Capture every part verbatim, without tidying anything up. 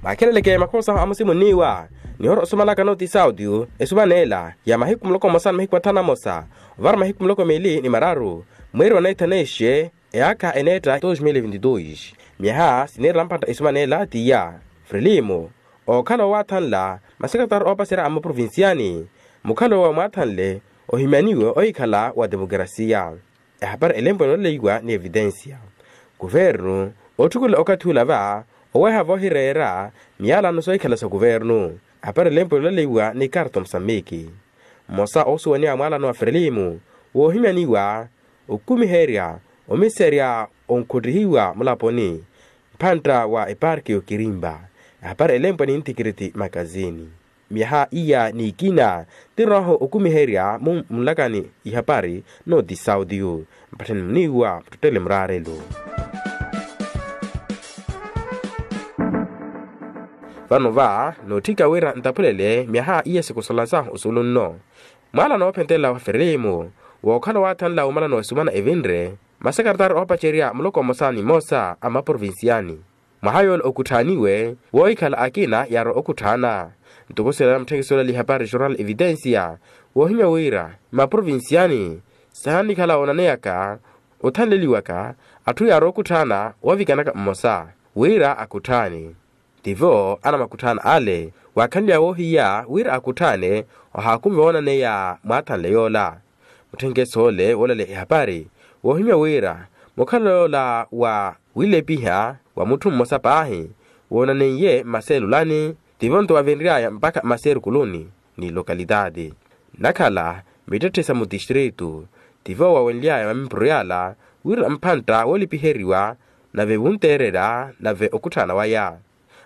Akheleleke makhosa amusimunniwa nihora osumanaka noti saudio esumanela ya mahiku muloko mosa ni mahiku athanu amosa ovara mahiku muloko mili ni mararu mweri wa naithaneixe. Eyaakha eneetta dos mil vinti dos miyaha siniirela mphantta esumanela tiya frelimo okhala owathanla masekretari oopaserya a maprovinciani mukhalo wa mwathanle ohimyaniwe ohikhala wa demokrasia. Ehapari elempwe nooleleiwa ni evitensia kuvernu otthukulela okathi ula va oweha voohireera miyalano soohikhala sa kuvernu. Ehapari elempwe nooleleiwa ni karto musamiki mmosa oosuwaniwa mwalano wa frelimo woohimyaniwa okumiherya omiserya onkhottihiwa mulaponi mphantta wa eparki y'okirimpa. Ehapari elempwe ni ntikiriti makazini miyaha iya n'ikina tirooho okumiherya mu mulakani ihapari noti saudio mpatthani muniiwa muttottele muraarelo. Vano va nootthika wira ntaphulele miyaha iya sikusolansa osuulu nno mwala noophentelela wa ferelimu wookhala waathanla womala noosumana evinre masekretari oopacerya muloko mmosa ni mmosa a maprovinciani mwaha yoole okutthaaniwe woohikhala akina yaarowa okutthaana. Ntoko siilana mutthenkisi olali ihapari jornal evitensia woohimya wira mmaprovinciani sahanikhala woonaneyaka othanleliwaka atthu yaarowa okutthaana woovikanaka mmosa wira akutthaane. Tivo anamakutthaana ale waakhanly'aya woohiya wira akutthaane ohaakumiwa woonaneya mwaathanle yoola. Mutthenkeso ole woolaleya ehapari woohimya wira mukhalelo yoola wa wilepiha wa mutthu mmosa paahi woonaneiye mmaseelulani tivo nto wavenry'aya mpakha mmaseerukuluni ni lokalitaati nnakhala mittetthe sa mutistritu. Tivo wawenly'aya mamimpuro yaala wira mphantta woolepiheriwa nave wunteererya nave okutthana waya.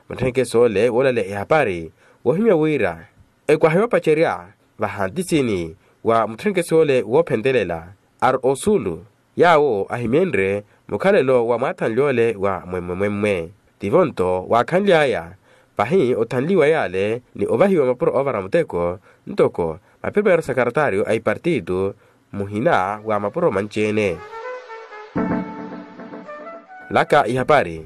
Mutthenkeso ole woolaleya ehapari woohimya wira ekwaha yoopacerya vahantisini wa mutthenkeso ole woophentelela ari osuulu yaawo ahimenrye mukhalelo wa mwaathanly'ole wa mwemmwe-mwemmwe. Tivo nto waakhanly'aya pahi othanliwa yaale ni ovahiwa mapuro oovara muteko ntoko mapeperu sakaratario a ipartitu muhina wa mapuro manci-ene. Laka ihapari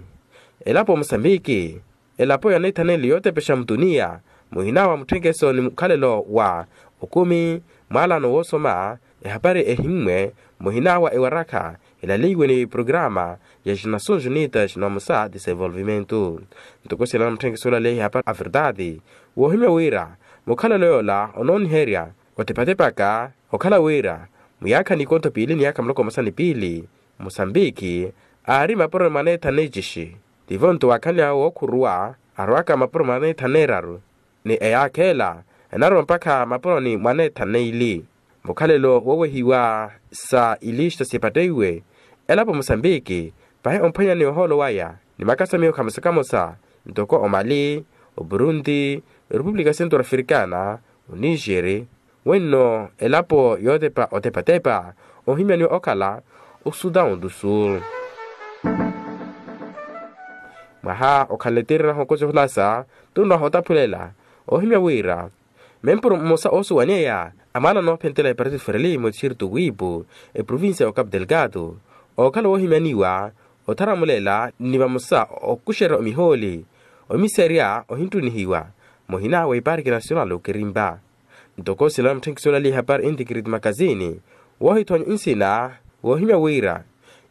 elapo musambiki elapo ya naithaneli yootepexa mutuniya muhina wa mutthenkeso ni mukhalelo wa okumi mwaalano woosoma ehapari ehimmwe muhina wa ewarakha elaleiwe ni programa ya xinasunju nitas ni vamosa desenvolvimento. Ntoko siilana mutthenkeso olaleya ihapari a verdade woohimya wira mukhalelo yoola onooniherya otepatepaka okhala wira muyaakha nikontho piili ni yaakha muloko mmosa ni piili musambiki aari mapuro ni mwaneetha neecixi. Tivo nto waakhanly'awe wookhuruwa arowaka mapuro mwaneetha neeraru ni eyaakha ela enarowa mpakha mapuro ni mwaneetha neili. Mukhalelo woowehiwa sa ilista sipatteiwe elapo musambiki pahi omphwanyani ohoolo waya ni makasamiyo khamosa-khamosa ntoko omali opurundi repupulika centro africana onixeri wenno elapo yootepa otepatepa ohimyaniwa okhala osudan du sul. Mwaha okhanle ttirirahu okosi ohulasa tunrahu otaphulela ohimya wira mempuro mmosa oosuwaneya amwaana noophentela epartido fereli mutixirito wiipu eprovincia ya ocapu delgado ookhala woohimyaniwa otharamulela ni vamosa okuxerya omihooli omiserya ohinttunihiwa muhina wa iparki nasional okirimpa. Ntoko siilana mutthenkiso olali ihapari intikiriti makazini woohithonya nsina woohimya wira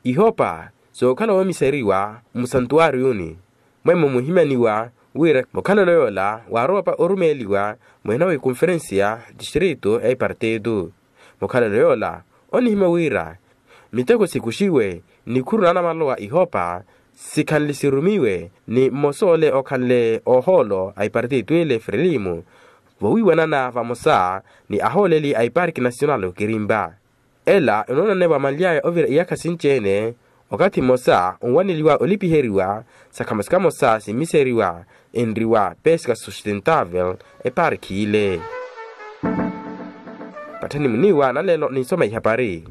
ihopa sookhala woomiseriwa mmusantuwariyuni mwemmo muhimyaniwa wira mukhalelo yoola waarowa pa orumeeliwa muhina wa ikonferensiya distrito ya ipartitu. Mukhalelo yoola onihimya wira miteko sikuxiwe nikhuru na anamalowa ihopa sikhanle sirumiwe ni mmosa ole okhanle ohoolo a ipartitu ile frelimu vowiiwanana vamosa ni ahooleli a iparki nasional okirimpa. Ela enoonaneva manly'aya ovira iyakha sinci-ene okathi mmosa onwaneliwa olipiheriwa sa khamosa-khamosa simmiseriwa enriwa pesca sustentavel eparki ile. Patthani muniiwa naleelo ninsoma ihapari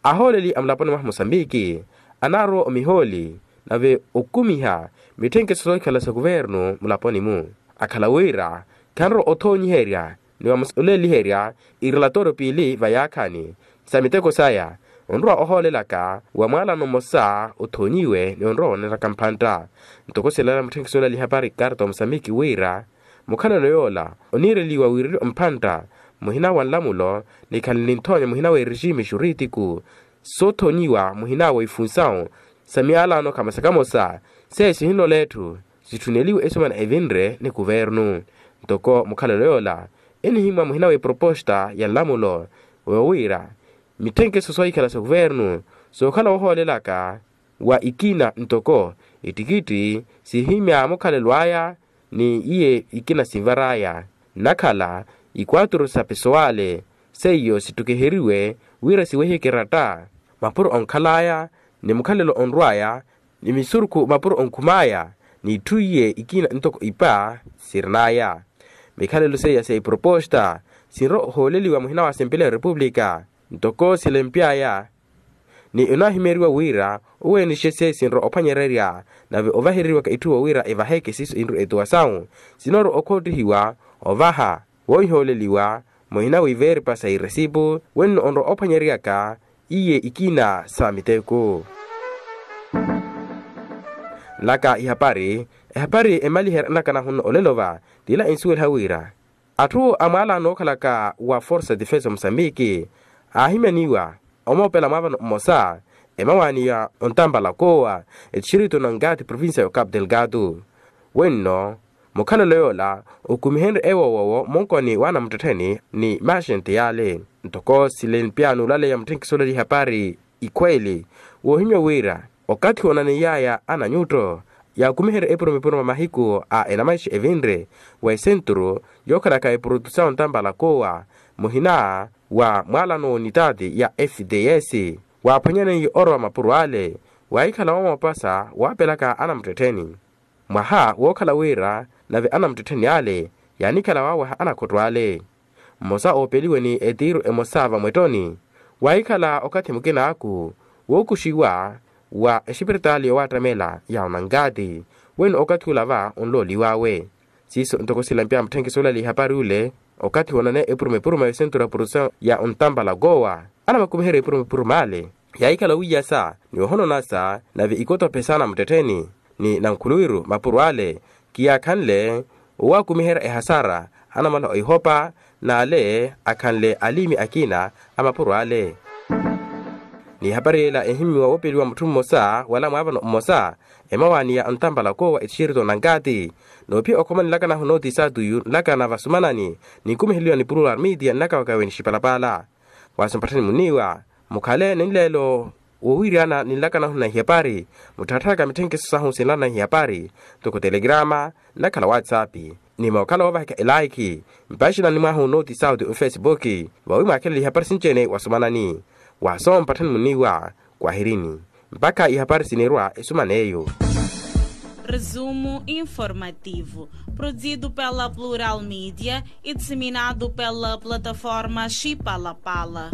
ahooleli a mulaponi mwaha musambiki anaarowa omihooli nave okumiha mitthenkeso soohikhala sa kuvernu mulaponi-mu akhala wira khanrowa othoonyiherya ni vamosa oleeliherya irelatório piili va yaakhani sa miteko saya. Onrowa ohoolelaka wa mwaalano mmosa othonyiwe ni onrowa oneeraka mphantta. Ntoko silaala mutthenkiso olali hapari karta wa musambiki wira mukhalelo yoola oniireliwa wiireliwa mphantta muhina wa nlamulo, nikhale ninthoonya muhina wa eregime xuritiku soothonyiwa muhina wa ifunsawu sa miyalano khamasa kamosa seiyo sihinlola etthu sitthuneliwe esumana evinre ni kuvernu. Ntoko mukhalelo yoola enihimmwa muhina wa eproposta ya nlamulo woowiira mitthenkeso soohikhala sa kuvernu sookhala woohoolelaka wa ikina ntoko ittikitthi sihimya mukhalelo aya ni iye ikina sinvar'aya nnakhala ikwaturu sa pesowale seiyo sittukiheriwe wira siwehiye keratta mapuro onkhal'aya ni mukhalelo onrw'aya ni misurukhu mapuro onkhum'aya ni itthu iye ikina ntoko ipa sirin'aya. Mikhalelo seiya sa iproposta sinrowa ohooleliwa muhina wa asempeleya ya repupulika ntoko silempy'aya ni onaahimyeriwa wira oweenixesye sinrowa ophwanyererya nave ovahereriwaka itthu wowira evaheke siiso inru etuwa sawu sinoorowa okhottihiwa ovaha woohihooleliwa muhina wiveeripa sa iresipu wenno onrowa ophwanyeryaka iye ikina sa miteko. Nlaka ihapari ehapari emaliherya nnakanahu nno olelo va tila ensuweliha wira atthu a mwaalano ookhalaka wa forsa defensa musambiki aahimyaniwa omoopela mwaavano mmosa emawaani ya ontampala koowa etixirito na nkati provincia ya ocapu delgado. Wenno mukhalelo yoola okumihenrye ewoowowo munkoni w'anamuttettheni ni maxente yale ntoko silenpya n'ulaleya mutthenkiso olali ihapari ikhweeli woohimya wira okathi woonaneiy'aya ananyutto yaakumiherye epuruma-epuruma mahiku a enamaixa evinre wa esenturu yookhalaka eprodusawu ntampala koowa muhina wa mwaalano w'unitaati ya fds waaphwanyaneiye orowa mapuro ale waahikhala woomoopasa waapelaka anamuttettheni mwaha wookhala wira nave anamuttettheni ale yaanikhala waaweha anakhotto ale mmosa oopeliwe ni etiiru emosa vamwettoni waahikhala okathi mukin'aku wookuxiwa wa exipiritaali yowaattamela ya onankaati wenno okathi ula va onlooliw'awe siiso ntoko silampya mutthenkiso olali ihapari ule okathi woonane epuruma-epuruma ya esenturu ya produsawu ya ontampala koowa anamakumiherya epuruma-epuruma ale yaahikhala wiiyasa ni ohononasa nave ikotophe saana muttettheni ni nankhuluwiru mapuro ale kiyaakhanle owaakumiherya ehasara anamala oihopa n'ale akhanle aliimi akina a mapuro ale ni ehapari yeela ehimmiwa woopeliwa mutthu mmosa wala mwaavano mmosa emawaani ya ontampala koowa etixirito nankaati noophiya okhoma nlaka nahu nooti saatuyu nlaka na vasumanani ninkumiheliwa ni pululu armidiya nnaka wakaweni xipalapaala waaso mpatthani muniiwa mukhale ni nleelo woowiriyana ni nlaka nahu na ihapari mutthattharaka mitthenkeso sahu sinlana na ihapari ntoko telegrama nnakhala whatsapp ni mookhala woovaheka elaikhi mpaxinani mwahu nooti sauti ofesipuki vawi mwaakhelele ihapari sinci-ene wasumanani waaso mpatthani muniiwa kwahirini mpakha ihapari sinirwa esuman'eyo. Resumo informativo, produzido pela Plural Mídia e disseminado pela plataforma Chipalapala.